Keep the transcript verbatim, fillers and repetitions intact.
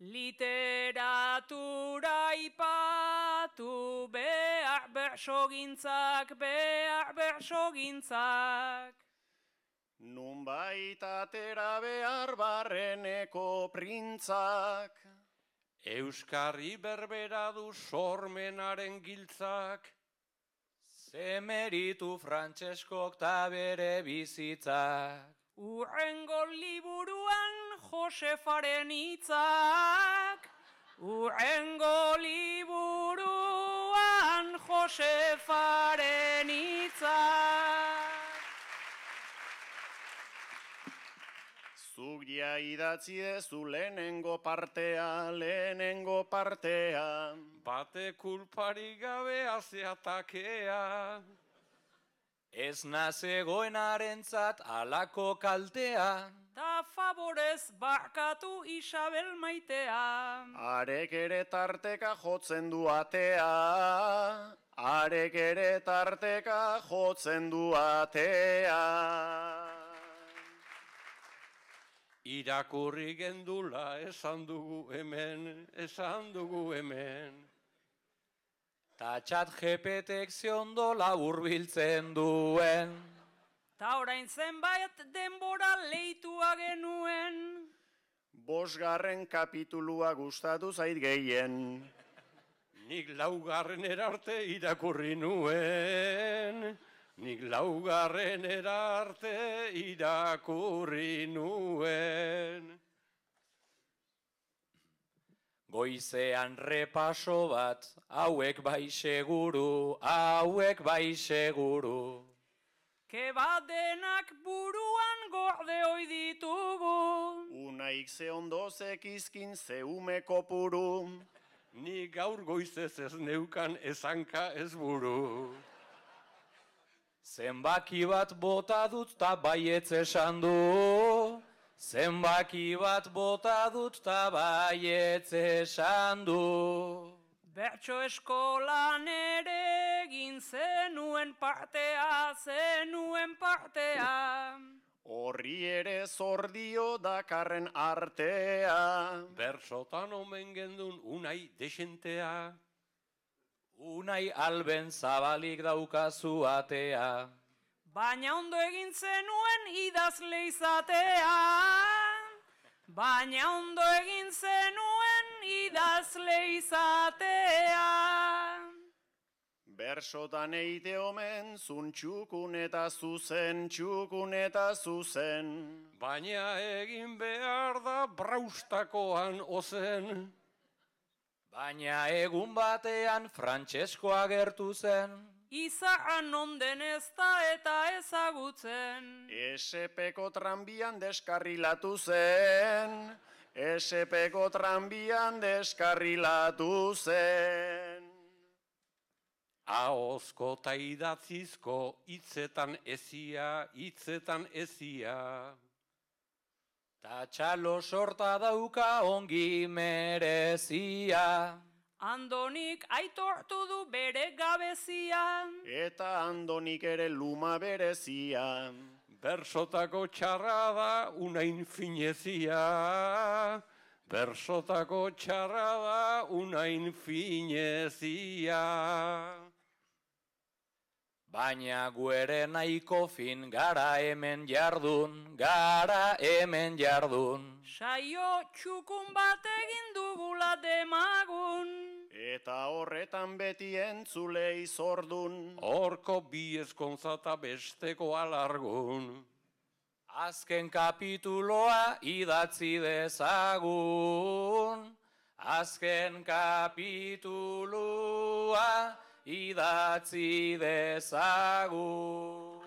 Literatura ipatu behar bersogintzak, behar bersogintzak. Nunbait atera behar barreneko printzak. Euskarri berbera du sormenaren giltzak. Zemeritu Frantseskok ta bere bizitzak. Urrengo liburuan Josefaren hitzak. Urrengo liburuan Josefaren hitzak. Zuk ja idatzi dezu lehenengo partea, lehenengo partea. Bate kulpari gabe azeatakea. Ez nazegoenarentzat alako kaltea. Ta favorez barkatu Isabel maitea. Arek ere tarteka jotzen du atea. Arek ere tarteka jotzen du atea. Irakurri gendula esan dugu hemen, esan dugu hemen. Ta txat jepetek ziondo laburbiltzen duen. Ta orain zenbait denbora leitua genuen. Bosgarren kapitulua gustatu zait gehien. Nik laugarren erarte irakurri nuen. Nik laugarren erarte irakurri nuen. Goizean repaso bat, hauek bai seguru, hauek bai seguru. Kebadenak buruan gorde oi ditugu. Unaik ze ondo zekizkin zeume kopuru. Ni gaur goizez ez neukan ezanka ez buru. Zenbaki bat bota dut ta baietz esan du. Zenbaki bat bota dut ta baietz esan du. Bertso eskolan ere egin zenuen partea, zenuen partea. Horri ere zordio dakarren artea. Bersotan omen gendun unai desentea. Unai alben zabalik daukazu atea. Baina ondo egin zenuen idazle izatea. Baina ondo egin zenuen idazle izatea. Bersotan eite omen zun txukun eta zuzen, txukun eta zuzen. Baina egin behar da braustakoan ozen. Baina egun batean Frantsesko agertu zen. Izarra nonden ez da eta ezagutzen. Esepeko tranbian deskarrilatu zen. Esepeko tranbian deskarrilatu zen. Ahozko ta idatzizko hitzetan ezia, hitzetan ezia. Ta txalo sorta dauka ongi merezia. Andonik aitortu du bere gabezia. Eta Andonik ere luma berezia. Bersotako txarra da unain finezia. Bersotako txarra da unain finezia. Baina gu ere nahiko fin gara hemen jardun, gara hemen jardun. Saio txukun bat egin dugula demagun. Eta horretan beti entzulei zordun. Horko bi ezkontzata besteko alargun. Azken kapituloa idatzi dezagun. Azken kapituloa idatzi dezagun.